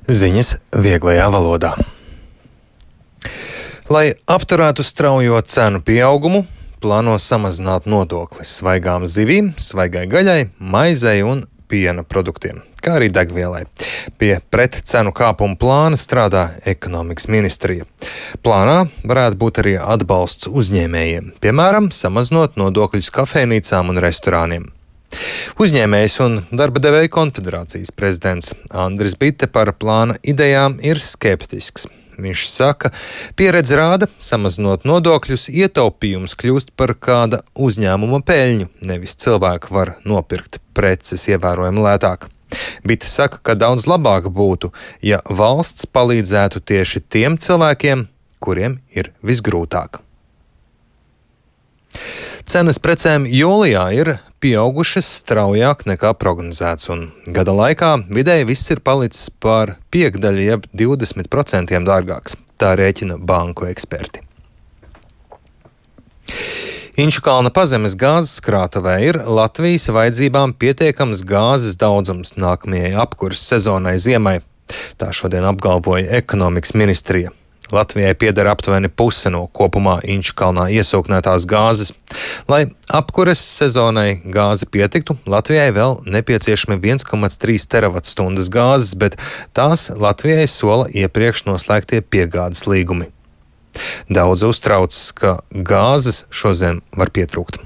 Ziņas vieglajā valodā. Lai apturētu straujo cenu pieaugumu, plāno samazināt nodokli svaigām zivīm, svaigai gaļai, maizei un piena produktiem, kā arī degvielai. Pie pretcenu kāpuma plāna strādā ekonomikas ministrija. Plānā varētu būt arī atbalsts uzņēmējiem, piemēram, samazinot nodokļus kafejnīcām un restorāniem. Uzņēmējs un darba devēju konfederācijas prezidents Andris Bite par plāna idejām ir skeptisks. Viņš saka, pieredze rāda, samazinot nodokļus, ietaupījums kļūst par kāda uzņēmuma peļņu, nevis cilvēki var nopirkt preces ievērojami lētāk. Bite saka, ka daudz labāk būtu, ja valsts palīdzētu tieši tiem cilvēkiem, kuriem ir visgrūtāk. Cenas precēm jūlijā ir pieaugušas straujāk nekā prognozēts, un gada laikā vidēji viss ir palicis par piekdaļu, jeb 20% dārgāks. Tā rēķina banku eksperti. Inčukalna pazemes gāzes krātuvē ir Latvijas vajadzībām pietiekams gāzes daudzums nākamajai apkuras sezonai ziemai. Tā šodien apgalvoja ekonomikas ministrija. Latvijai pieder aptuveni puse no kopumā Inčukalnā iesūknētās gāzes. Lai apkures sezonai gāzi pietiktu, Latvijai vēl nepieciešami 1,3 terawatstundas gāzes, bet tās Latvijai sola iepriekš noslēgtie piegādes līgumi. Daudz uztraucas, ka gāzes šodien var pietrūkt.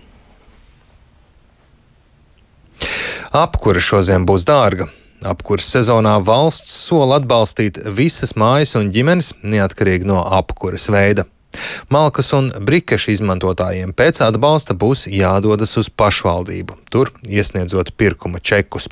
Apkure šodien būs dārga. Apkures sezonā valsts sola atbalstīt visas mājas un ģimenes, neatkarīgi no apkures veida. Malkas un brikešu izmantotājiem pēc atbalsta būs jādodas uz pašvaldību, tur iesniedzot pirkuma čekus.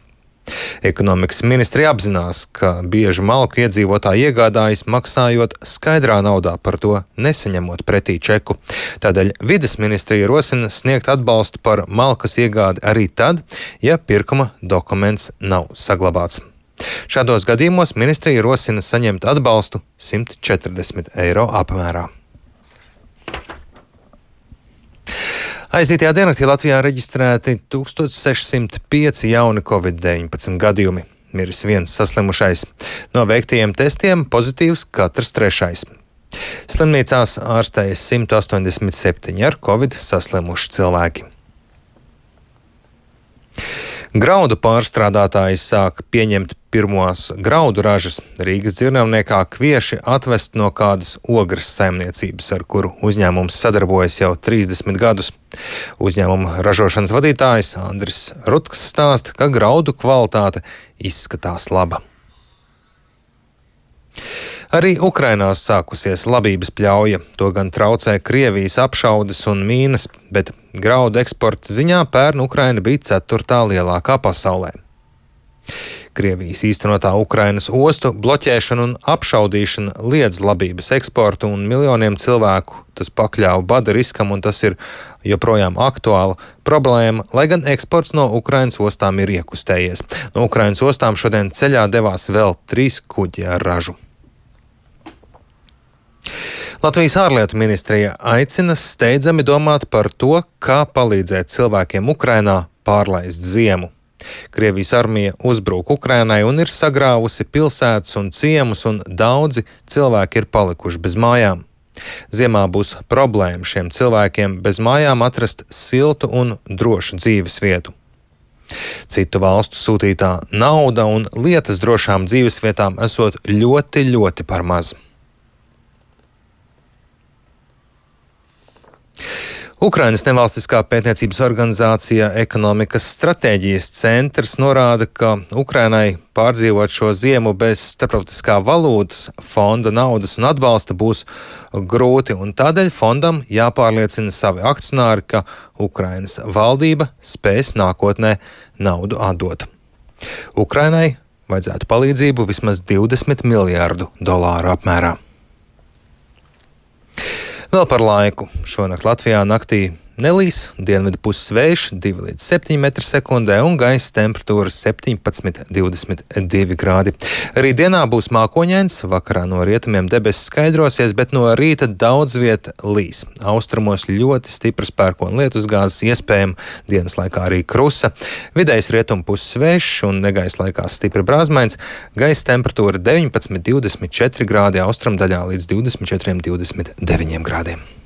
Ekonomikas ministrija apzinās, ka bieži malku iedzīvotāji iegādājas maksājot skaidrā naudā, par to nesaņemot pretī čeku. Tādēļ vides ministrija rosina sniegt atbalstu par malkas iegādi arī tad, ja pirkuma dokuments nav saglabāts. Šādos gadījumos ministrija rosina saņemt atbalstu 140 eiro apmērā. Aizītajā diennaktī Latvijā reģistrēti 1605 jauni Covid-19 gadījumi. Miris viens saslimušais. No veiktajiem testiem pozitīvs katrs trešais. Slimnīcās ārstējas 187 ar Covid saslimuši cilvēki. Graudu pārstrādātāji sāk pieņemt pirmos graudu ražas. Rīgas dzirnavniekā kvieši atvest no kādas ogres saimniecības, ar kuru uzņēmums sadarbojas jau 30 gadus. Uzņēmuma ražošanas vadītājs Andris Rutks stāsta, ka graudu kvalitāte izskatās laba. Arī Ukrainā sākusies labības pļauja, to gan traucē Krievijas apšaudes un mīnas, bet graudu eksporta ziņā pērn Ukraina bija 4. lielākā pasaulē. Krievijas īstenotā Ukrainas ostu bloķēšana un apšaudīšana liedz labības eksportu un miljoniem cilvēku tas pakļāva bada riskam, un tas ir joprojām aktuāla problēma, lai gan eksports no Ukrainas ostām ir iekustējies. No Ukrainas ostām šodien ceļā devās vēl 3 kuģi ar ražu. Latvijas ārlietu ministrija aicina steidzami domāt par to, kā palīdzēt cilvēkiem Ukrainā pārlaist ziemu. Krievijas armija uzbrūk Ukrainai un ir sagrāvusi pilsētas un ciemus, un daudzi cilvēki ir palikuši bez mājām. Ziemā būs problēma šiem cilvēkiem bez mājām atrast siltu un drošu dzīves vietu. Citu valstu sūtītā nauda un lietas drošām dzīves vietām esot ļoti par maz. Ukrainas nevalstiskā pētniecības organizācija Ekonomikas stratēģijas centrs norāda, ka Ukrainai pārdzīvot šo ziemu bez starptautiskā valūtas fonda naudas un atbalsta būs grūti, un tādēļ fondam jāpārliecina savi akcionāri, ka Ukrainas valdība spēs nākotnē naudu atdot. Ukrainai vajadzētu palīdzību vismaz $20 miljārdu apmērā. Vēl par laiku. Šonakt Latvijā naktī nelīs, dienvidu puses vējš 2 līdz 7 m/sekundē un gaisa temperatūra 17–22 grādi. Rītdienā būs mākoņains, vakarā no rietumiem debesis skaidrosies, bet no rīta daudz vieta līs. Austrumos ļoti stipras pērkona lietusgāzes iespējama, dienas laikā arī krusa. Vidējs rietumu puses vējš un negaisa laikā stipri brāzmains, gaisa temperatūra 19–24 grādi, austrumdaļā līdz 24–29 grādiem.